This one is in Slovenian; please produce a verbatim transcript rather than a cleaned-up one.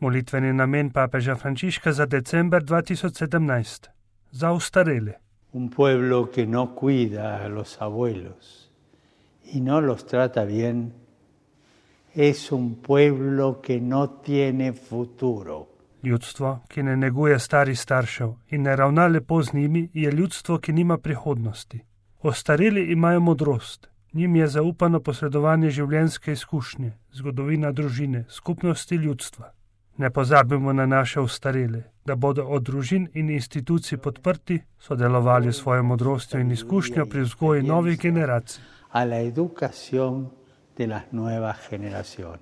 Molitveni namen papeža Frančiška za december dva tisoč sedemnajst. Za ostarele. Un pueblo que no cuida a los abuelos y no los trata bien es un pueblo que no tiene futuro. Ljudstvo, ki ne neguje starih staršev in ne ravna lepo z njimi, je ljudstvo, ki nima prihodnosti. Ostareli imajo modrost, njim je zaupano posredovanje življenjske izkušnje, zgodovina družine, skupnosti ljudstva. Ne pozabimo na naše ostarele, da bodo od družin in institucij podprti, sodelovali s svojo modrostjo in izkušnjo pri vzgoji novih generacij. A la educación de las nuevas generaciones.